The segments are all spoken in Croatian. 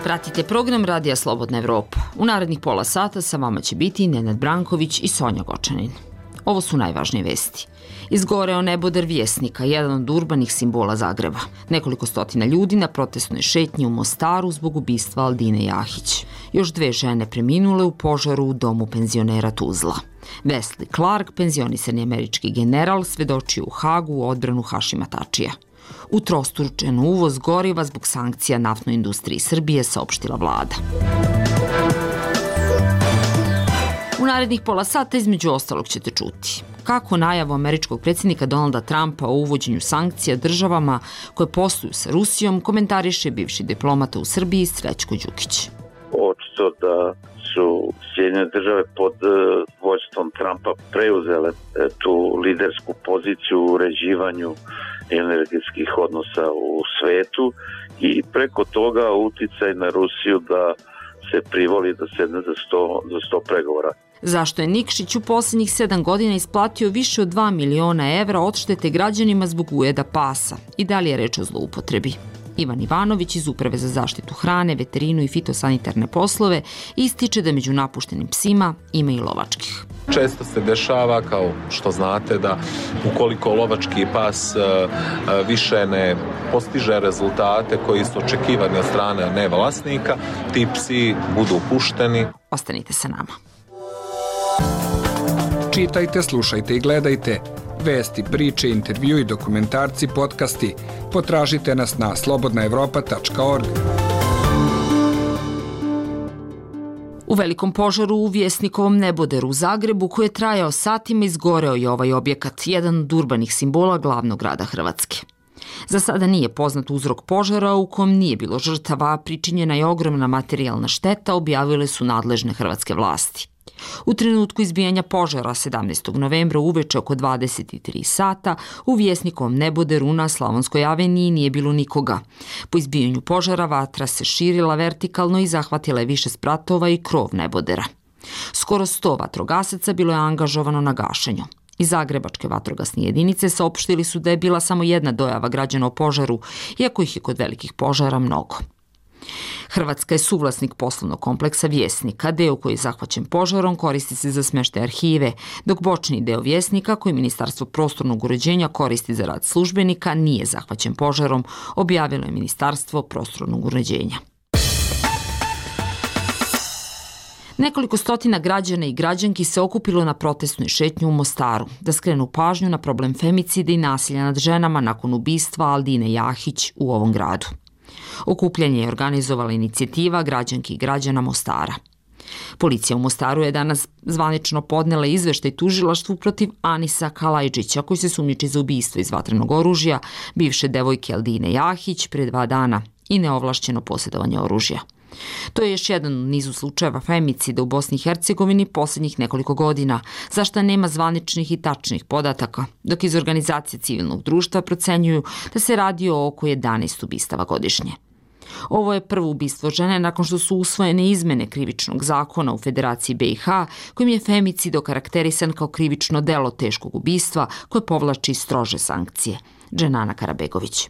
Pratite program Radija Slobodna Evropa. U narednih pola sata sa vama će biti Nenad Branković i Sonja Gočanin. Ovo su najvažnije vesti. Izgoreo neboder Vjesnika, jedan od urbanih simbola Zagreba. Nekoliko stotina ljudi na protestnoj šetnji u Mostaru zbog ubistva Aldine Jahić. Još 2 žene preminule u požaru u domu penzionera Tuzla. Wesley Clark, penzionisani američki general, svedočio u Hagu u odbranu Hašima Tačija. Utrostručen uvoz goriva zbog sankcija naftnoj industriji Srbije, saopštila vlada. U narednih pola sata između ostalog ćete čuti kako najavu američkog predsjednika Donalda Trumpa o uvođenju sankcija državama koje posluju sa Rusijom komentariše bivši diplomata u Srbiji Srećko Đukić. Očito da su Sjedinjene države pod vođstvom Trumpa preuzele tu lidersku poziciju u uređivanju energetskih odnosa u svetu i preko toga uticaj na Rusiju da se privoli da sedne za sto pregovora. Zašto je Nikšić u posljednjih 7 godina isplatio više od 2 miliona evra odštete građanima zbog ujeda pasa? I da li je reč o zloupotrebi? Ivan Ivanović iz Uprave za zaštitu hrane, veterinu i fitosanitarne poslove ističe da među napuštenim psima ima i lovačkih. Često se dešava, kao što znate, da ukoliko lovački pas više ne postiže rezultate koji su očekivani od strane nevlasnika, ti psi budu pušteni. Ostanite sa nama. Čitajte, slušajte i gledajte. Vesti, priče, intervju i dokumentarci, podcasti. Potražite nas na slobodnaevropa.org. U velikom požaru u Vjesnikovom neboderu u Zagrebu, koji je trajao satima, izgoreo je ovaj objekat, jedan od urbanih simbola glavnog grada Hrvatske. Za sada nije poznat uzrok požara u kom nije bilo žrtava, a pričinjena je ogromna materijalna šteta, objavile su nadležne hrvatske vlasti. U trenutku izbijanja požara 17. novembra uveče oko 23 sata u Vjesnikovom neboderu na Slavonskoj aveniji nije bilo nikoga. Po izbijanju požara vatra se širila vertikalno i zahvatila je više spratova i krov nebodera. Skoro 100 vatrogasaca bilo je angažovano na gašenju. Iz Zagrebačke vatrogasne jedinice saopštili su da je bila samo jedna dojava građana o požaru, iako ih je kod velikih požara mnogo. Hrvatska je suvlasnik poslovnog kompleksa Vjesnika. Deo koji je zahvaćen požarom koristi se za smještaj arhive, dok bočni deo Vjesnika, koji Ministarstvo prostornog uređenja koristi za rad službenika, nije zahvaćen požarom, objavilo je Ministarstvo prostornog uređenja. Nekoliko stotina građana i građanki se okupilo na protestnoj šetnju u Mostaru da skrenu pažnju na problem femicida i nasilja nad ženama nakon ubistva Aldine Jahić u ovom gradu. Okupljanje je organizovala inicijativa građanki i građana Mostara. Policija u Mostaru je danas zvanično podnela izveštaj tužilaštvu protiv Anisa Kalajđića, koji se sumnjiči za ubistvo iz vatrenog oružja bivše devojke Aldine Jahić pre 2 dana i neovlašćeno posjedovanje oružja. To je još jedan u nizu slučajeva femicida u Bosni i Hercegovini posljednjih nekoliko godina, za što nema zvaničnih i tačnih podataka, dok iz organizacije civilnog društva procenjuju da se radi o oko 11 ubistava godišnje. Ovo je prvo ubistvo žene nakon što su usvojene izmene krivičnog zakona u Federaciji BiH, kojim je femicid okarakterisan kao krivično delo teškog ubistva koje povlači strože sankcije. Dženana Karabegović.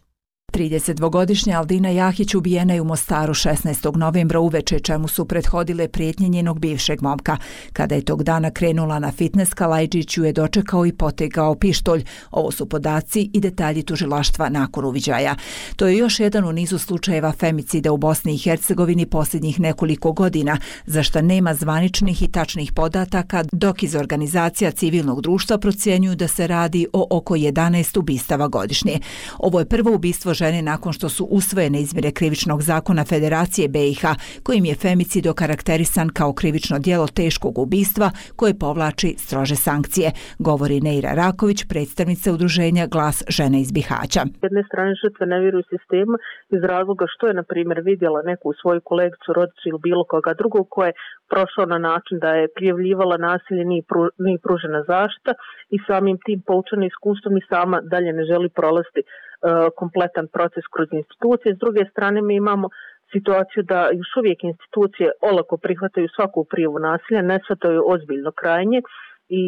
32-godišnja Aldina Jahić ubijena je u Mostaru 16. novembra uveče, čemu su prethodile prijetnje njenog bivšeg momka. Kada je tog dana krenula na fitnes, Kalajđić ju je dočekao i potegao pištolj. Ovo su podaci i detalji tužilaštva nakon uviđaja. To je još jedan u nizu slučajeva femicida u Bosni i Hercegovini posljednjih nekoliko godina, za što nema zvaničnih i tačnih podataka, dok iz organizacija civilnog društva procjenjuju da se radi o oko 11 ubistava godišnje. Ovo je prvo ubistvo žene nakon što su usvojene izmjene krivičnog zakona Federacije BiH, kojim je femicid okarakterisan kao krivično djelo teškog ubistva koje povlači strože sankcije, govori Neira Raković, predstavnica udruženja Glas žene iz Bihaća. S jedne strane žrtve ne vjeruju sistemu iz razloga što je, na primjer, vidjela neku svoju kolegicu, rodicu ili bilo koga drugog ko je prošao na način da je prijavljivala nasilje, nije pružena zaštita i samim tim poučena iskustvom i sama dalje ne želi prolaziti kompletan proces kroz institucije. S druge strane mi imamo situaciju da još uvijek institucije olako prihvataju svaku prijavu nasilja, ne shvataju ozbiljno krajnje I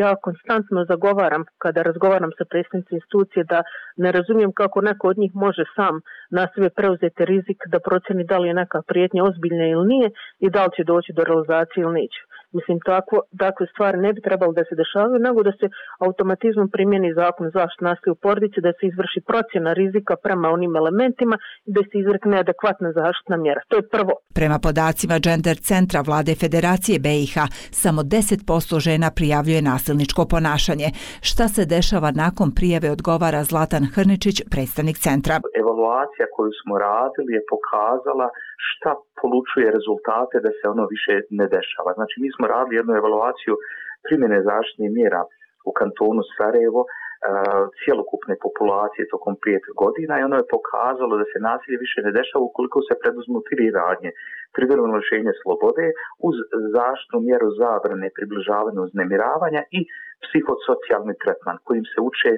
ja konstantno zagovaram, kada razgovaram sa predstavnicima institucije, da ne razumijem kako neko od njih može sam na sebe preuzeti rizik da procjeni da li je neka prijetnja ozbiljna ili nije i da li će doći do realizacije ili neće. Mislim, takve stvari ne bi trebalo da se dešavaju, nego da se automatizmom primjeni zakon o zaštiti nasilja u porodici, da se izvrši procjena rizika prema onim elementima i da se izrekne adekvatna zaštitna mjera. To je prvo. Prema podacima Gender centra Vlade Federacije BiH, samo 10% žena prijavljuje nasilničko ponašanje. Šta se dešava nakon prijave, odgovara Zlatan Hrničić, predstavnik centra. Evaluacija koju smo radili je pokazala šta polučuje rezultate da se ono više ne dešava. Znači, mi smo radili jednu evaluaciju primjene zaštitnih mjera u kantonu Sarajevo, cjelokupne populacije tokom 5 godina i ono je pokazalo da se nasilje više ne dešava ukoliko se preduzmu 3 radnje. Privremeno lišenje slobode uz zaštitnu mjeru zabrane približavanja uznemiravanja i psihosocijalni tretman kojim se uče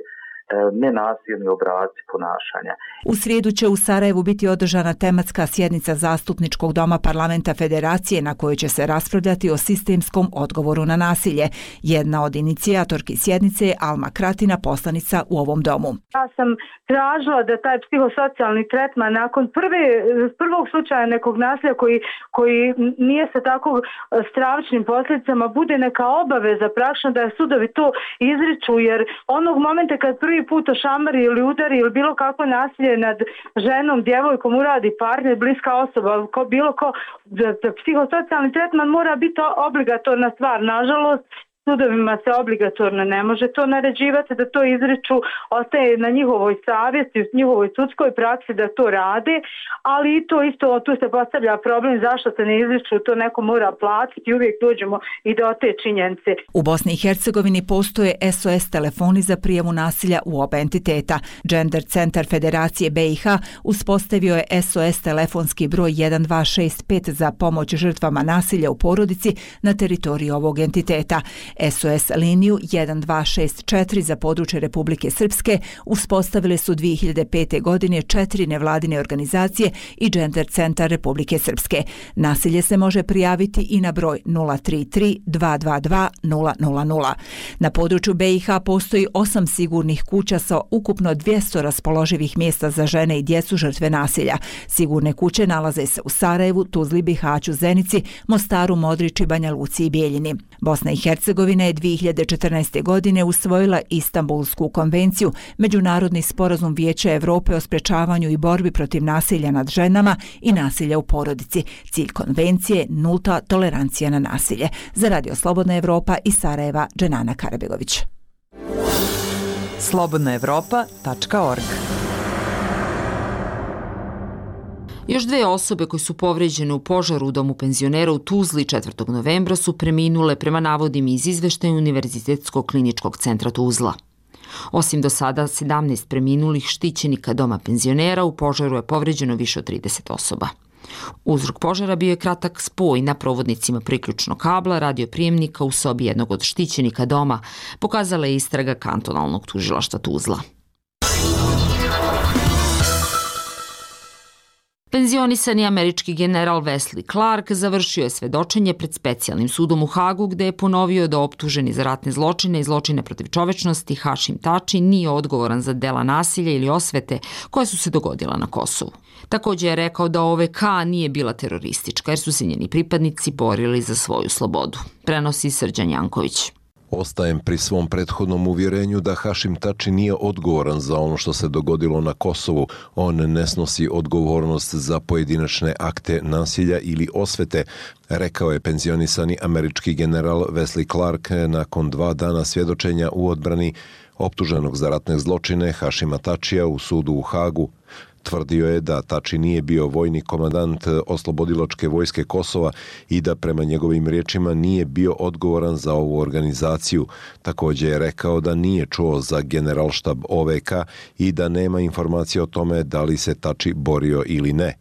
nenasilni obrasci ponašanja. U srijedu će u Sarajevu biti održana tematska sjednica Zastupničkog doma Parlamenta Federacije na kojoj će se raspravljati o sistemskom odgovoru na nasilje. Jedna od inicijatorki sjednice je Alma Kratina, poslanica u ovom domu. Ja sam tražila da taj psihosocijalni tretman nakon prvog slučaja nekog nasilja koji nije sa tako stravičnim posljedicama bude neka obaveza praktično da sudovi to izriču, jer onog momenta kad prvi put ošamari ili udari ili bilo kakvo nasilje nad ženom, djevojkom uradi partner, bliska osoba, psihosocijalni tretman mora biti obligatorna stvar. Nažalost, sudovima se obligatorno ne može to naređivati, da to izriču, ostaje na njihovoj savjesti, njihovoj sudskoj praksi da to rade, ali i to isto, tu se postavlja problem zašto se ne izriču, to neko mora platiti i uvijek dođemo i do te činjenice. U Bosni i Hercegovini postoje SOS telefoni za prijavu nasilja u oba entiteta. Gender centar Federacije BiH uspostavio je SOS telefonski broj 1265 za pomoć žrtvama nasilja u porodici na teritoriji ovog entiteta. SOS liniju 1264 za područje Republike Srpske uspostavile su 2005. godine 4 nevladine organizacije i Gender centar Republike Srpske. Nasilje se može prijaviti i na broj 033 222 000. Na području BiH postoji 8 sigurnih kuća sa ukupno 200 raspoloživih mjesta za žene i djecu žrtve nasilja. Sigurne kuće nalaze se u Sarajevu, Tuzli, Bihaću, Zenici, Mostaru, Modriči, Banja Luci i Bijeljini. Bosna i Hercegovina je 2014. godine usvojila Istanbulsku konvenciju, međunarodni sporazum Vijeća Europe o sprečavanju i borbi protiv nasilja nad ženama i nasilja u porodici. Cilj konvencije je nulta tolerancija na nasilje. Za Radio Slobodna Evropa iz Sarajeva, Dženana Karabegović. slobodnaevropa.org. Još 2 osobe koje su povređene u požaru u domu penzionera u Tuzli 4. novembra su preminule prema navodima iz izveštaja Univerzitetskog kliničkog centra Tuzla. Osim do sada 17 preminulih štićenika doma penzionera, u požaru je povređeno više od 30 osoba. Uzrok požara bio je kratak spoj na provodnicima priključnog kabla radioprijemnika u sobi jednog od štićenika doma, pokazala je istraga kantonalnog tužilaštva Tuzla. Penzionisani američki general Wesley Clark završio je svedočenje pred specijalnim sudom u Hagu, gde je ponovio da optuženi za ratne zločine i zločine protiv čovečnosti Hašim Tači nije odgovoran za dela nasilja ili osvete koje su se dogodila na Kosovu. Također je rekao da OVK nije bila teroristička jer su se njeni pripadnici borili za svoju slobodu. Prenosi Srđan Janković. Ostajem pri svom prethodnom uvjerenju da Hašim Tači nije odgovoran za ono što se dogodilo na Kosovu. On ne snosi odgovornost za pojedinačne akte nasilja ili osvete, rekao je penzionisani američki general Wesley Clark nakon 2 dana svjedočenja u odbrani optuženog za ratne zločine Hašima Tačija u sudu u Hagu. Tvrdio je da Tači nije bio vojni komandant Oslobodilačke vojske Kosova i da prema njegovim riječima nije bio odgovoran za ovu organizaciju. Također je rekao da nije čuo za generalštab OVK i da nema informacije o tome da li se Tači borio ili ne.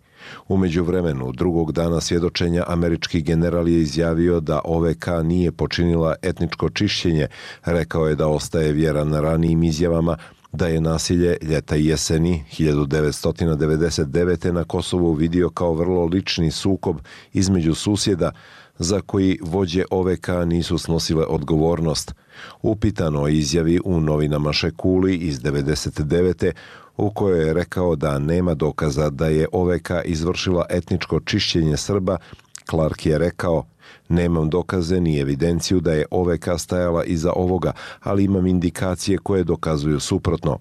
U međuvremenu, drugog dana svjedočenja, američki general je izjavio da OVK nije počinila etničko čišćenje. Rekao je da ostaje vjeran ranijim izjavama da je nasilje ljeta i jeseni 1999. na Kosovu vidio kao vrlo lični sukob između susjeda, za koji vođe OVK nisu snosile odgovornost. Upitano o izjavi u novinama Šekuli iz 99. u kojoj je rekao da nema dokaza da je OVK izvršila etničko čišćenje Srba, Clark je rekao: "Nemam dokaze ni evidenciju da je OVK stajala iza ovoga, ali imam indikacije koje dokazuju suprotno."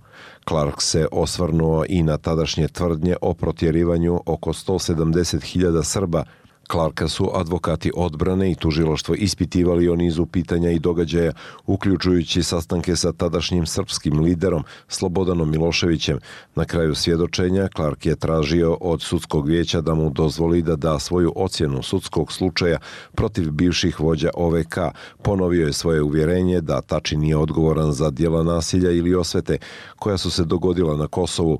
Clark se osvrnuo i na tadašnje tvrdnje o protjerivanju oko 170.000 Srba. Clarka su advokati odbrane i tužilaštvo ispitivali o nizu pitanja i događaja, uključujući sastanke sa tadašnjim srpskim liderom Slobodanom Miloševićem. Na kraju svjedočenja Clark je tražio od sudskog vijeća da mu dozvoli da da svoju ocjenu sudskog slučaja protiv bivših vođa OVK. Ponovio je svoje uvjerenje da Tači nije odgovoran za djela nasilja ili osvete koja su se dogodila na Kosovu.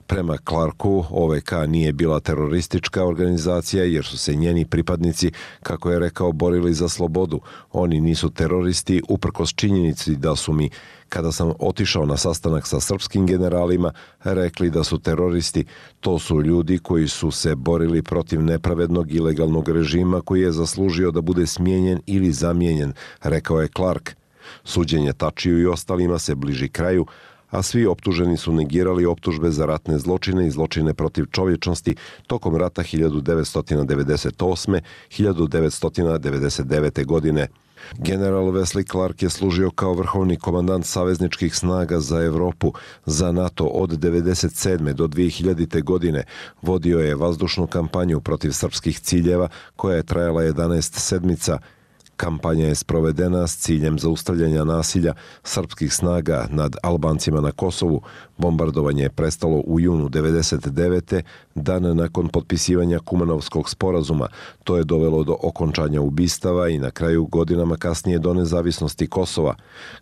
Prema Clarku, OVK nije bila teroristička organizacija jer su se njeni pripadnici, kako je rekao, borili za slobodu. Oni nisu teroristi uprkos činjenici da su mi, kada sam otišao na sastanak sa srpskim generalima, rekli da su teroristi. To su ljudi koji su se borili protiv nepravednog ilegalnog režima koji je zaslužio da bude smijenjen ili zamijenjen, rekao je Clark. Suđenje Tačiju i ostalima se bliži kraju, a svi optuženi su negirali optužbe za ratne zločine i zločine protiv čovječnosti tokom rata 1998-1999. godine. General Wesley Clark je služio kao vrhovni komandant savezničkih snaga za Evropu za NATO od 1997. do 2000. godine. Vodio je vazdušnu kampanju protiv srpskih ciljeva koja je trajala 11 sedmica. Kampanja je sprovedena s ciljem zaustavljanja nasilja srpskih snaga nad Albancima na Kosovu. Bombardovanje je prestalo u junu 1999. dan nakon potpisivanja Kumanovskog sporazuma. To je dovelo do okončanja ubistava i na kraju godinama kasnije do nezavisnosti Kosova.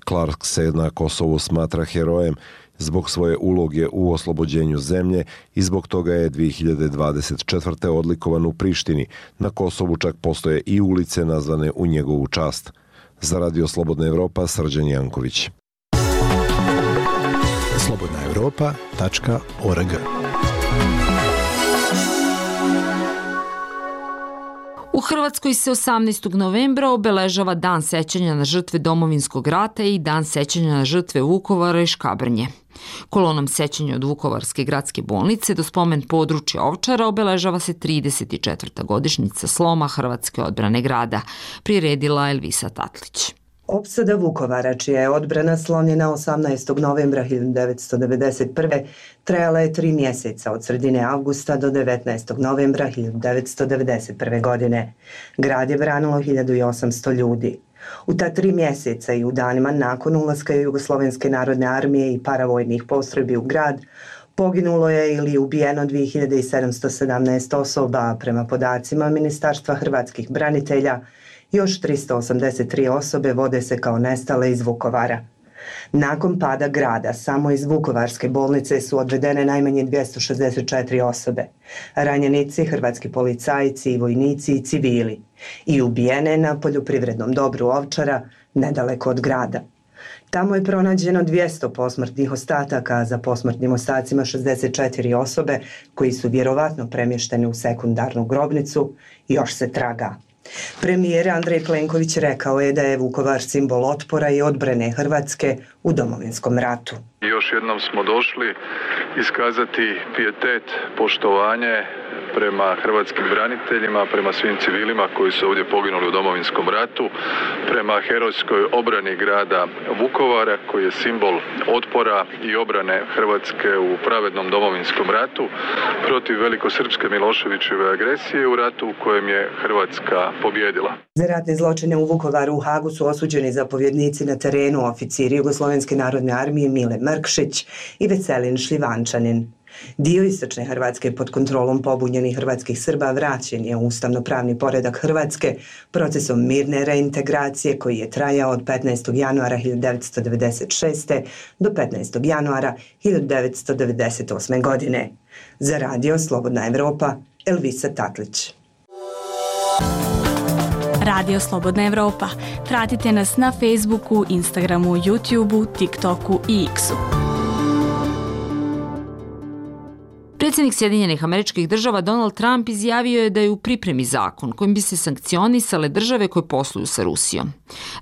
Clark se na Kosovu smatra herojem zbog svoje uloge u oslobođenju zemlje i zbog toga je 2024. odlikovan u Prištini. Na Kosovu čak postoje i ulice nazvane u njegovu čast. Za Radio Slobodna Evropa, Srđan Janković. slobodnaevropa.org. U Hrvatskoj se 18. novembra obeležava Dan sećanja na žrtve Domovinskog rata i Dan sećanja na žrtve Vukovara i Škabrnje. Kolonom sećanja od Vukovarske gradske bolnice do spomen područja Ovčara obeležava se 34. godišnjica sloma Hrvatske odbrane grada, priredila Elvisa Tatlić. Opsada Vukovara, čija je odbrana slomljena 18. novembra 1991. trajala je 3 mjeseca od sredine avgusta do 19. novembra 1991. godine. Grad je branilo 1800 ljudi. U ta 3 mjeseca i u danima nakon ulaska Jugoslovenske narodne armije i paravojnih postrojbi u grad, poginulo je ili ubijeno 2717 osoba, a prema podacima Ministarstva hrvatskih branitelja, još 383 osobe vode se kao nestale iz Vukovara. Nakon pada grada, samo iz Vukovarske bolnice su odvedene najmanje 264 osobe. Ranjenici, hrvatski policajci i vojnici i civili. I ubijene na poljoprivrednom dobru Ovčara, nedaleko od grada. Tamo je pronađeno 200 posmrtnih ostataka, a za posmrtnim ostacima 64 osobe koji su vjerovatno premješteni u sekundarnu grobnicu, još se traga. Premijer Andrej Plenković rekao je da je Vukovar simbol otpora i odbrane Hrvatske u Domovinskom ratu. Još jednom smo došli iskazati pijetet, poštovanje prema hrvatskim braniteljima, prema svim civilima koji su ovdje poginuli u Domovinskom ratu, prema herojskoj obrani grada Vukovara koji je simbol otpora i obrane Hrvatske u pravednom Domovinskom ratu protiv velikosrpske Miloševićeve agresije u ratu u kojem je Hrvatska pobjedila. Za ratne zločine u Vukovaru u Hagu su osuđeni zapovjednici na terenu, oficiri Jugoslovenske narodne armije Mile Mrkšić i Veselin Šljivančanin. Dio istočne Hrvatske pod kontrolom pobunjenih hrvatskih Srba vraćen je u ustavno-pravni poredak Hrvatske procesom mirne reintegracije koji je trajao od 15. januara 1996. do 15. januara 1998. godine. Za Radio Slobodna Evropa, Elvisa Tatlić. Radio Slobodna Evropa. Pratite nas na Facebooku, Instagramu, YouTubeu, TikToku i X-u. Predsjednik Sjedinjenih Američkih Država Donald Trump izjavio je da je u pripremi zakon kojim bi se sankcionisale države koje posluju sa Rusijom.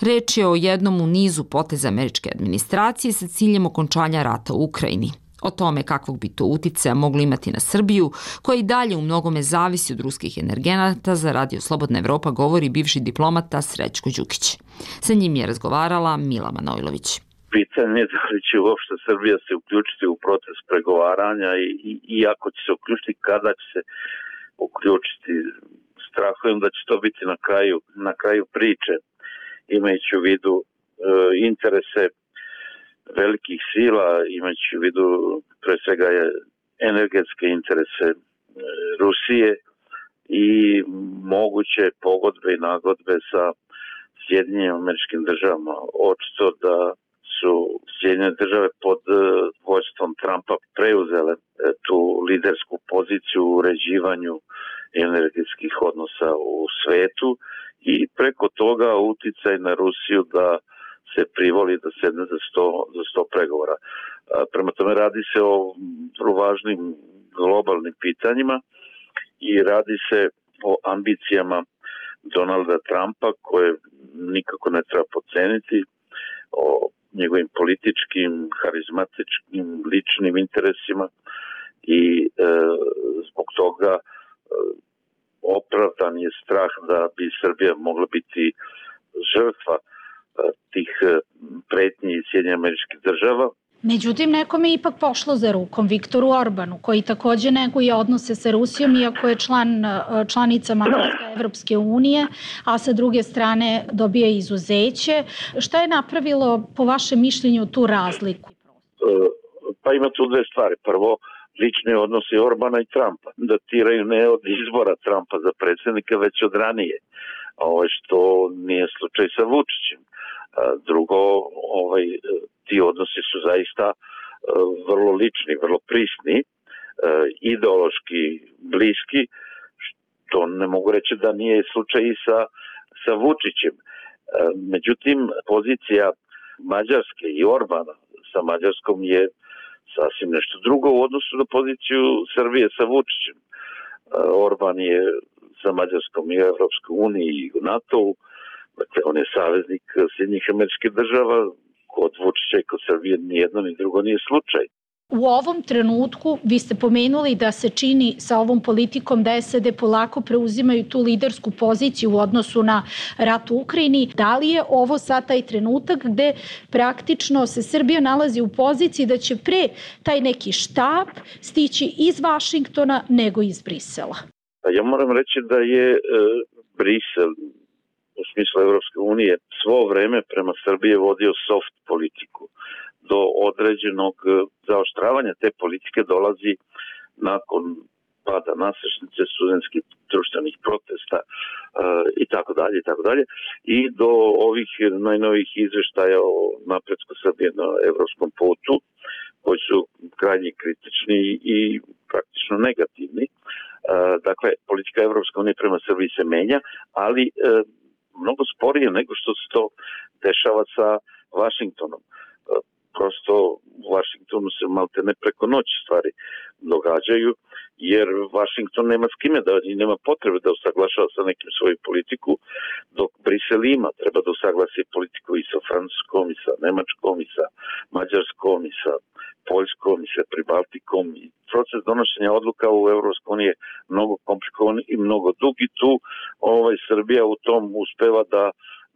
Reč je o jednom u nizu poteza američke administracije sa ciljem okončanja rata u Ukrajini. O tome kakvog bi to uticaja moglo imati na Srbiju, koja i dalje u mnogome zavisi od ruskih energenata, za Radio Slobodna Evropa govori bivši diplomata Srećko Đukić. Sa njim je razgovarala Mila Manojlović. Pitanje je da li će uopšte Srbija se uključiti u proces pregovaranja i ako će se uključiti, kada će se uključiti. Strahujem da će to biti na kraju priče, imajući u vidu interese velikih sila, imajući u vidu pre svega energetske interese Rusije i moguće pogodbe i nagodbe sa Sjedinjenim Američkim Državama. Očito da su Sjedinjene Države pod vođstvom Trumpa preuzele tu lidersku poziciju u uređivanju energetskih odnosa u svetu i preko toga uticaj na Rusiju da se privoli da sedne za sto pregovora. Prema tome radi se o vrlo važnim globalnim pitanjima i radi se o ambicijama Donalda Trumpa koje nikako ne treba podceniti, o njegovim političkim, harizmatičkim, ličnim interesima i zbog toga opravdan je strah da bi Srbija mogla biti žrtva tih pretnji iz Sjedinjenih Američkih Država. Međutim, nekome je ipak pošlo za rukom, Viktoru Orbanu, koji takođe neguje odnose sa Rusijom, iako je članica Mađarska Evropske unije, a sa druge strane dobije izuzeće. Šta je napravilo, po vašem mišljenju, tu razliku? Pa ima tu dve stvari. Prvo, lični odnosi Orbana i Trumpa. Datiraju ne od izbora Trumpa za predsjednika, već od ranije. Što nije slučaj sa Vučićem. Drugo, ti odnosi su zaista vrlo lični, vrlo prisni, ideološki bliski, što ne mogu reći da nije slučaj i sa Vučićem. Međutim, pozicija Mađarske i Orbana sa Mađarskom je sasvim nešto drugo u odnosu na poziciju Srbije sa Vučićem. Orban je sa Mađarskom i u Evropskoj uniji i u NATO-u, dakle on je saveznik Sjedinjenih Američkih Država, kod Vučića i kod Srbije ni jedno ni drugo nije slučaj. U ovom trenutku vi ste pomenuli da se čini sa ovom politikom da SAD polako preuzimaju tu lidersku poziciju u odnosu na rat u Ukrajini. Da li je ovo sad taj trenutak gde praktično se Srbija nalazi u poziciji da će pre taj neki štab stići iz Vašingtona nego iz Brisela? Ja moram reći da je Brisel u smislu Evropske unije svo vreme prema Srbije vodio soft politiku. Do određenog zaoštravanja te politike dolazi nakon pada nasrešnice, studentskih društvenih protesta i tako dalje i do ovih najnovih izveštaja o napretku Srbije na evropskom putu koji su krajnje kritični i praktično negativni. Dakle, politika Evropske unije prema Srbiji se menja, ali mnogo sporije nego što se to dešava sa Vašingtonom. Prosto u Vašingtonu se malte ne preko noći stvari događaju, jer Vašington nema s kime i nema potrebe da usaglašava sa nekim svoju politiku, dok Brisel treba da usaglasi politiku i sa Francuskom, i sa Nemačkom, i sa Mađarskom, i sa Poljskom, i sa Pribaltikom. I proces donošenja odluka u Evropskoj uniji je mnogo komplikovan i mnogo dug i tu Srbija u tom uspeva da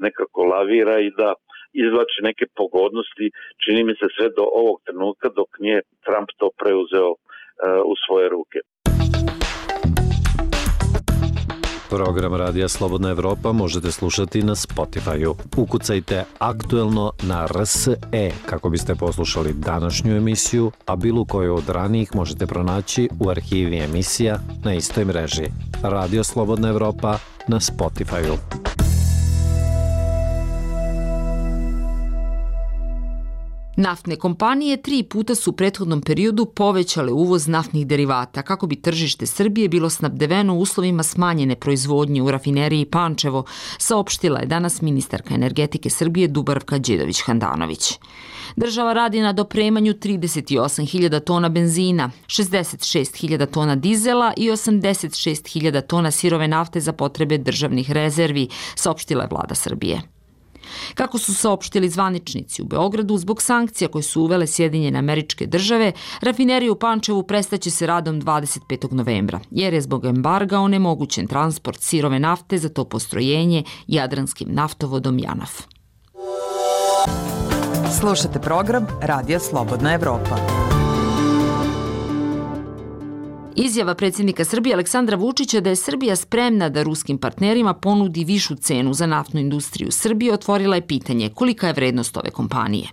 nekako lavira i da izvlači neke pogodnosti, čini mi se sve do ovog trenutka dok nije Trump to preuzeo u svoje ruke. Program Radija Slobodna Evropa možete slušati na Spotify-u. Ukucajte aktuelno na RSE kako biste poslušali današnju emisiju, a bilo koju od ranijih možete pronaći u arhivi emisija na istoj mreži. Radio Slobodna Evropa na Spotify-u. Naftne kompanije 3 puta su u prethodnom periodu povećale uvoz naftnih derivata kako bi tržište Srbije bilo snabdeveno u uslovima smanjene proizvodnje u rafineriji Pančevo, saopštila je danas ministarka energetike Srbije Dubravka Đedović-Handanović. Država radi na dopremanju 38.000 tona benzina, 66.000 tona dizela i 86.000 tona sirove nafte za potrebe državnih rezervi, saopštila je vlada Srbije. Kako su saopštili zvaničnici u Beogradu, zbog sankcija koje su uvele Sjedinjene Američke Države, rafinerija u Pančevu prestaće se radom 25. novembra, jer je zbog embarga onemogućen transport sirove nafte za to postrojenje Jadranskim naftovodom JANAF. Slušate program Radija Slobodna Evropa. Izjava predsjednika Srbije Aleksandra Vučića da je Srbija spremna da ruskim partnerima ponudi višu cenu za naftnu industriju Srbije otvorila je pitanje kolika je vrednost ove kompanije.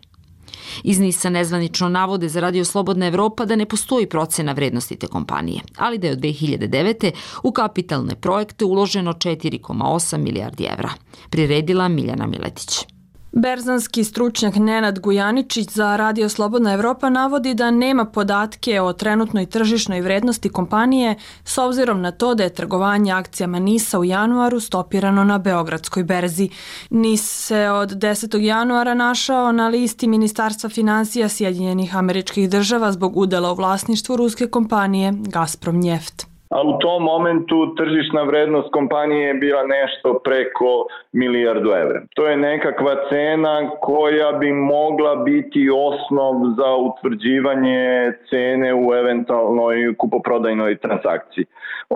Iz NIS-a nezvanično navode za Radio Slobodna Evropa da ne postoji procena vrednosti te kompanije, ali da je od 2009. u kapitalne projekte uloženo 4,8 milijardi evra. Priredila Miljana Miletić. Berzanski stručnjak Nenad Gujaničić za Radio Slobodna Evropa navodi da nema podatke o trenutnoj tržišnoj vrednosti kompanije s obzirom na to da je trgovanje akcijama NIS-a u januaru stopirano na Beogradskoj berzi. NIS se od 10. januara našao na listi Ministarstva finansija Sjedinjenih Američkih Država zbog udela u vlasništvu ruske kompanije Gazprom Njeft. A u tom momentu tržišna vrednost kompanije je bila nešto preko milijardu evra. To je nekakva cena koja bi mogla biti osnov za utvrđivanje cene u eventualnoj kupoprodajnoj transakciji.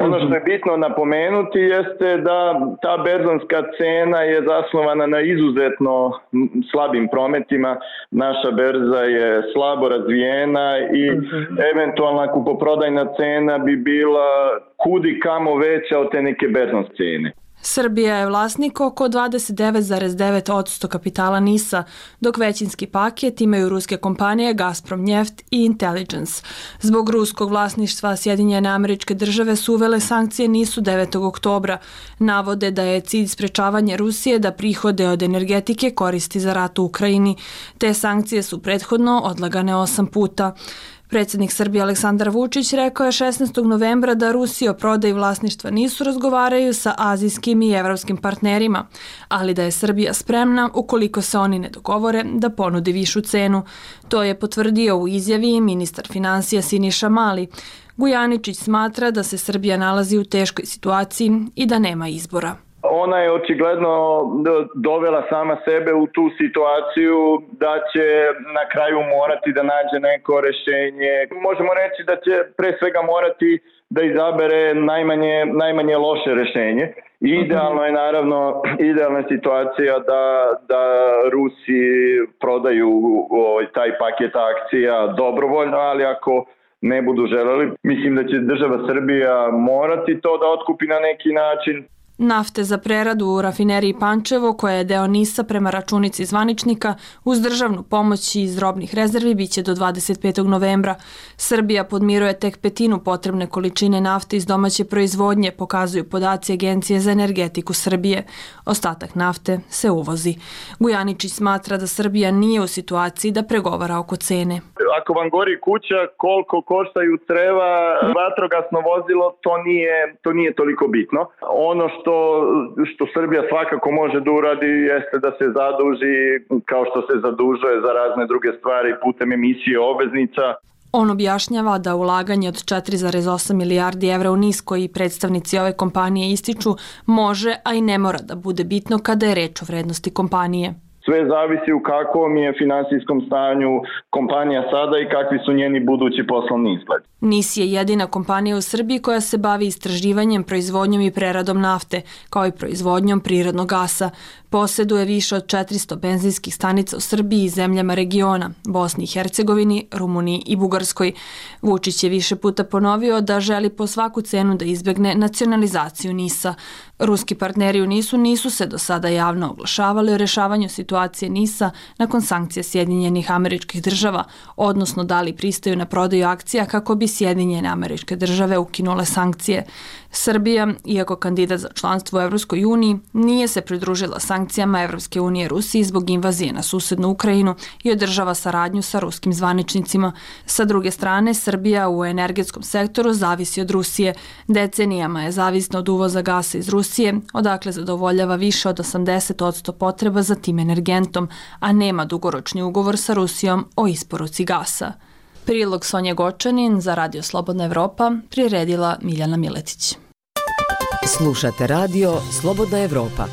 Ono što je bitno napomenuti jeste da ta berzanska cena je zasnovana na izuzetno slabim prometima. Naša berza je slabo razvijena i eventualna kupoprodajna cena bi bila kudi kamo veća od te neke berzanske cene. Srbija je vlasnik oko 29,9% kapitala NIS-a, dok većinski paket imaju ruske kompanije Gazprom Njeft i Intelligence. Zbog ruskog vlasništva Sjedinjene Američke Države su uvele sankcije NIS-u 9. oktobra. Navode da je cilj sprečavanje Rusije da prihode od energetike koristi za rat u Ukrajini. Te sankcije su prethodno odlagane 8 puta. Predsjednik Srbije Aleksandar Vučić rekao je 16. novembra da Rusija o prodaji vlasništva NIS-u razgovaraju sa azijskim i evropskim partnerima, ali da je Srbija spremna, ukoliko se oni ne dogovore, da ponudi višu cenu. To je potvrdio u izjavi ministar finansija Siniša Mali. Gujaničić smatra da se Srbija nalazi u teškoj situaciji i da nema izbora. Ona je očigledno dovela sama sebe u tu situaciju da će na kraju morati da nađe neko rešenje. Možemo reći da će pre svega morati da izabere najmanje loše rešenje. Idealno je naravno idealna situacija da Rusi prodaju taj paket akcija dobrovoljno, ali ako ne budu želeli, mislim da će država Srbija morati to da otkupi na neki način. Nafte za preradu u rafineriji Pančevo, koja je deo NIS-a prema računici zvaničnika, uz državnu pomoć iz robnih rezervi biće do 25. novembra. Srbija podmiruje tek petinu potrebne količine nafte iz domaće proizvodnje, pokazuju podaci Agencije za energetiku Srbije. Ostatak nafte se uvozi. Gujaničić smatra da Srbija nije u situaciji da pregovara oko cene. Ako vam gori kuća, koliko koštaju creva, vatrogasno vozilo, to nije toliko bitno. Ono što Srbija svakako može da uradi jeste da se zaduži kao što se zadužuje za razne druge stvari putem emisije obveznica. On objašnjava da ulaganje od 4,8 milijardi evra u NIS koji predstavnici ove kompanije ističu može, a i ne mora da bude bitno kada je reč o vrednosti kompanije. Sve zavisi u kakvom je finansijskom stanju kompanija sada i kakvi su njeni budući poslovni izgled. NIS je jedina kompanija u Srbiji koja se bavi istraživanjem, proizvodnjom i preradom nafte, kao i proizvodnjom prirodnog gasa. Poseduje više od 400 benzinskih stanica u Srbiji i zemljama regiona, Bosni i Hercegovini, Rumuniji i Bugarskoj. Vučić je više puta ponovio da želi po svaku cenu da izbegne nacionalizaciju NIS-a. Ruski partneri u NIS-u nisu se do sada javno oglašavali o rešavanju situacije NIS-a nakon sankcija Sjedinjenih Američkih Država, odnosno da li pristaju na prodaju akcija kako bi Sjedinjene Američke Države ukinule sankcije. Srbija, iako kandidat za članstvo u Evropskoj uniji, nije se pridružila sankcijama Evropske unije Rusiji zbog invazije na susednu Ukrajinu i održava saradnju sa ruskim zvaničnicima. Sa druge strane, Srbija u energetskom sektoru zavisi od Rusije. Decenijama je zavisna od uvoza gasa iz Rusije, odakle zadovoljava više od 80% potreba za tim energentom, a nema dugoročni ugovor sa Rusijom o isporuci gasa. Prilog Sonje Gočanin za Radio Slobodna Evropa priredila Miljana Miletić. Slušate Radio Slobodna Evropa.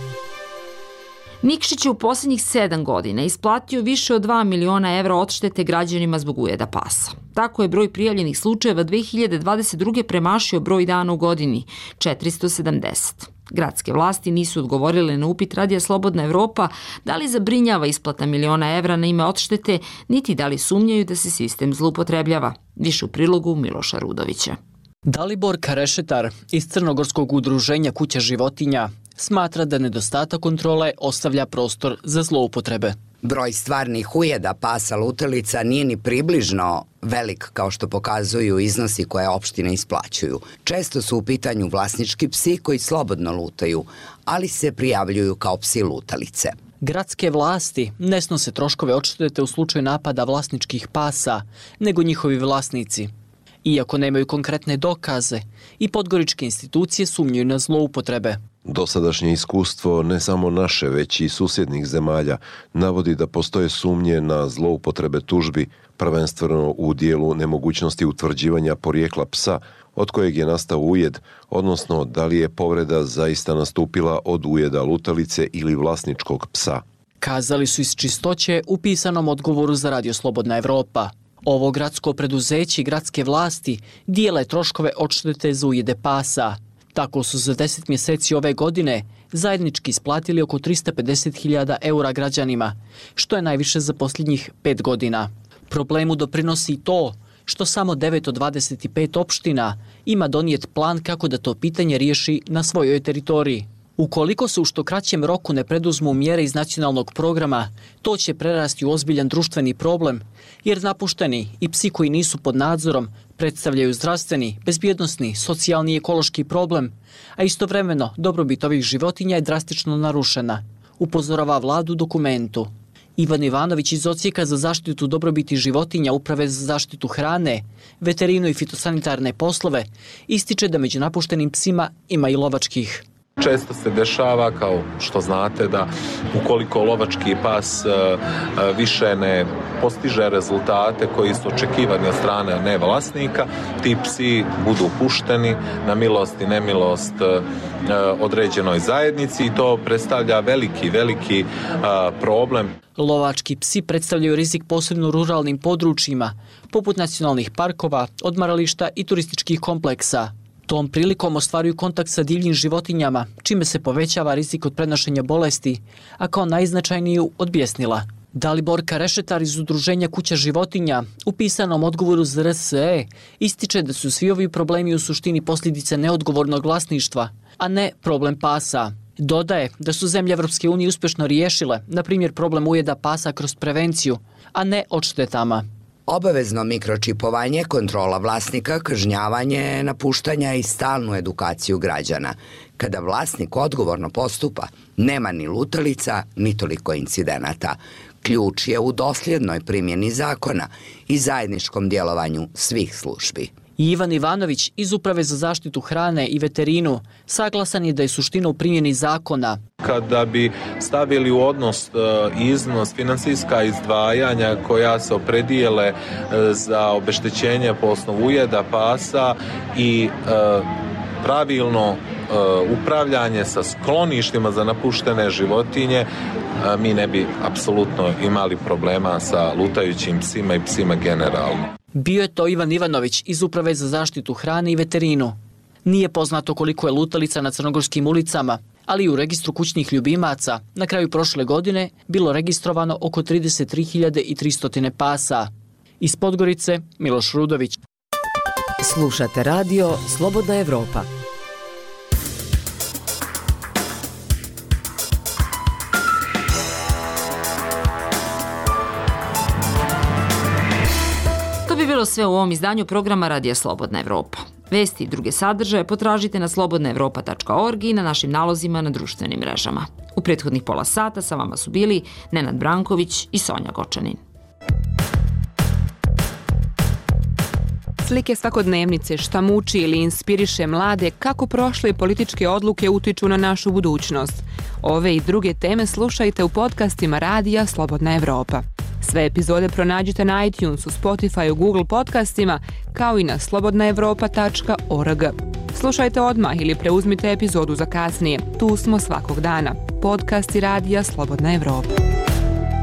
Nikšić je u posljednjih 7 godina isplatio više od 2 miliona evra odštete građanima zbog ujeda pasa. Tako je broj prijavljenih slučajeva 2022. premašio broj dana u godini, 470. Gradske vlasti nisu odgovorile na upit Radija Slobodna Evropa da li zabrinjava isplata miliona evra na ime odštete, niti da li sumnjaju da se sistem zloupotrebljava. Više u prilogu Miloša Rudovića. Dalibor Karešetar iz Crnogorskog udruženja Kuća životinja smatra da nedostatak kontrole ostavlja prostor za zloupotrebe. Broj stvarnih ujeda pasa lutalica nije ni približno velik kao što pokazuju iznosi koje opštine isplaćuju. Često su u pitanju vlasnički psi koji slobodno lutaju, ali se prijavljuju kao psi lutalice. Gradske vlasti ne snose troškove odštete u slučaju napada vlasničkih pasa, nego njihovi vlasnici. Iako nemaju konkretne dokaze, i podgoričke institucije sumnjuju na zloupotrebe. Dosadašnje iskustvo, ne samo naše, već i susjednih zemalja, navodi da postoje sumnje na zloupotrebe tužbi, prvenstveno u dijelu nemogućnosti utvrđivanja porijekla psa od kojeg je nastao ujed, odnosno da li je povreda zaista nastupila od ujeda lutalice ili vlasničkog psa. Kazali su iz Čistoće u pisanom odgovoru za Radio Slobodna Evropa. Ovo gradsko preduzeće i gradske vlasti dijele troškove odštete za ujede pasa. Tako su za 10 mjeseci ove godine zajednički isplatili oko 350.000 eura građanima, što je najviše za posljednjih 5 godina. Problemu doprinosi i to što samo 9 od 25 opština ima donijet plan kako da to pitanje riješi na svojoj teritoriji. Ukoliko se u što kraćem roku ne preduzmu mjere iz nacionalnog programa, to će prerasti u ozbiljan društveni problem, jer napušteni i psi koji nisu pod nadzorom predstavljaju zdravstveni, bezbjednosni, socijalni i ekološki problem, a istovremeno dobrobit ovih životinja je drastično narušena, upozorava vladu u dokumentu. Ivan Ivanović iz Odsjeka za zaštitu dobrobiti životinja Uprave za zaštitu hrane, veterinu i fitosanitarne poslove ističe da među napuštenim psima ima i lovačkih. Često se dešava, kao što znate, da ukoliko lovački pas više ne postiže rezultate koji su očekivani od strane nevlasnika, ti psi budu pušteni na milost i nemilost određenoj zajednici i to predstavlja veliki problem. Lovački psi predstavljaju rizik posebno u ruralnim područjima, poput nacionalnih parkova, odmarališta i turističkih kompleksa. Tom prilikom ostvaruju kontakt sa divljim životinjama, čime se povećava rizik od prenošenja bolesti, a kao najznačajniju od bijesnila. Dalibor Karešetar iz udruženja Kuća životinja u pisanom odgovoru za RSE ističe da su svi ovi problemi u suštini posljedice neodgovornog vlasništva, a ne problem pasa. Dodaje da su zemlje Evropske unije uspješno riješile, na primjer, problem ujeda pasa kroz prevenciju, a ne odštetama. Obavezno mikročipovanje, kontrola vlasnika, kažnjavanje, napuštanja i stalnu edukaciju građana. Kada vlasnik odgovorno postupa, nema ni lutalica, ni toliko incidenata. Ključ je u dosljednoj primjeni zakona i zajedničkom djelovanju svih službi. Ivan Ivanović iz Uprave za zaštitu hrane i veterinu saglasan je da je suština u primjeni zakona. Kada bi stavili u odnos iznos finansijska izdvajanja koja se opredijele za obeštećenje po osnovu ujeda pasa i pravilno upravljanje sa skloništima za napuštene životinje, mi ne bi apsolutno imali problema sa lutajućim psima i psima generalno. Bio je to Ivan Ivanović iz Uprave za zaštitu hrane i veterinu. Nije poznato koliko je lutalica na crnogorskim ulicama, ali u registru kućnih ljubimaca na kraju prošle godine bilo registrovano oko 33.300 pasa. Iz Podgorice, Miloš Rudović. Slušate Radio Slobodna Evropa. bilo sve u ovom izdanju programa Radija Slobodna Evropa. Vesti i druge sadržaje potražite na slobodnaevropa.org i na našim nalozima na društvenim mrežama. U prethodnih pola sata sa vama su bili Nenad Branković i Sonja Gočanin. Slike svakodnevnice, šta muči ili inspiriše mlade, kako prošle političke odluke utiču na našu budućnost. Ove i druge teme slušajte u podcastima Radija Slobodna Evropa. Sve epizode pronađite na iTunesu, Spotifyu, Google podcastima, kao i na slobodnaevropa.org. Slušajte odmah ili preuzmite epizodu za kasnije. Tu smo svakog dana. Podcasti Radija Slobodna Evropa.